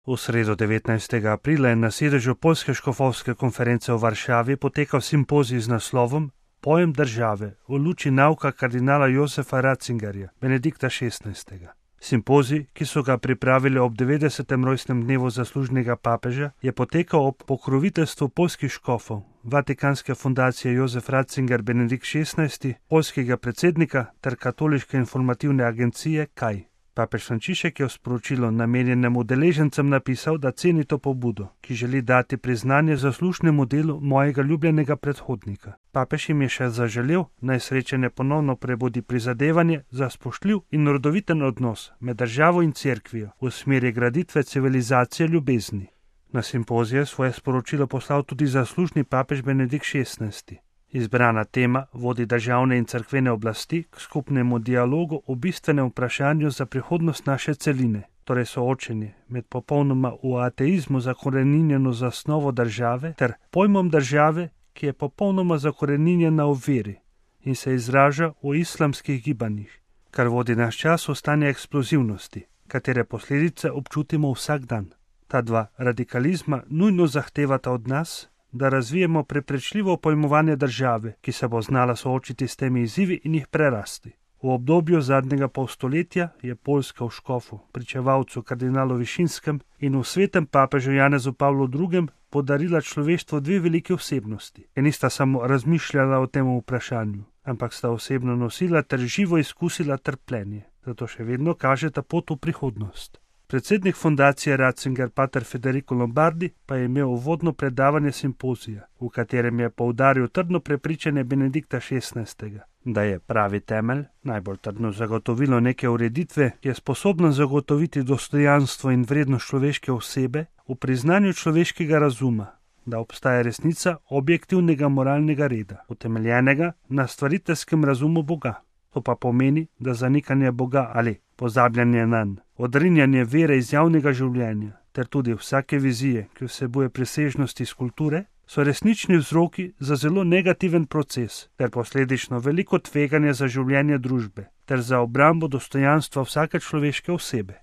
V sredo 19. aprila je na sedežu Poljske škofovske konference v Varšavi potekal simpozij z naslovom Pojem države v luči nauka kardinala Josefa Ratzingerja, Benedikta XVI. Simpozij, ki so ga pripravili ob 90. rojstnem dnevu zaslužnega papeža, je potekal ob pokroviteljstvu poljskih škofov, Vatikanske fundacije Josef Ratzinger Benedikt XVI, poljskega predsednika ter katoliške informativne agencije KAI. Papež Frančišek je v sporočilu namenjenem udeležencem napisal, da ceni to pobudo, ki želi dati priznanje zaslušnemu delu mojega ljubljenega predhodnika. Papež jim je še zaželel, naj srečanje ponovno prebudi prizadevanje za spoštljiv in rodoviten odnos med državo in cerkvijo v smeri graditve civilizacije ljubezni. Na simpozije svoje sporočilo poslal tudi zaslužni papež Benedikt XVI. Izbrana tema vodi državne in cerkvene oblasti k skupnemu dialogu o bistvenem vprašanju za prihodnost naše celine, torej soočenje med popolnoma v ateizmu zakoreninjeno zasnovo države ter pojmom države, ki je popolnoma zakoreninjena v veri in se izraža v islamskih gibanjih, kar vodi naš čas v stanje eksplozivnosti, katere posledice občutimo vsak dan. Ta dva radikalizma nujno zahtevata od nas, da razvijemo preprečljivo pojmovanje države, ki se bo znala soočiti s temi izzivi in jih prerasti. V obdobju zadnjega polstoletja je Poljska v škofu, pričevalcu kardinalu Višinskem in v svetem papežu Janezu Pavlu II. Podarila človeštvu dve veliki osebnosti, ki nista samo razmišljala o tem vprašanju, ampak sta osebno nosila ter živo izkusila trpljenje. Zato še vedno kažeta pot v prihodnost. Predsednik fundacije Ratzinger pater Federico Lombardi pa je imel uvodno predavanje simpozija, v katerem je poudaril trdno prepričanje Benedikta XVI., da je pravi temelj, najbolj trdno zagotovilo neke ureditve, ki je sposobna zagotoviti dostojanstvo in vrednost človeške osebe v priznanju človeškega razuma, da obstaja resnica objektivnega moralnega reda, utemeljenega na stvariteljskem razumu Boga. To pa pomeni, da zanikanje Boga ali pozabljanje nanj, odrinjanje vere iz javnega življenja ter tudi vsake vizije, ki vsebuje presežnosti iz kulture, so resnični vzroki za zelo negativen proces ter posledično veliko tveganje za življenje družbe ter za obrambo dostojanstva vsake človeške osebe.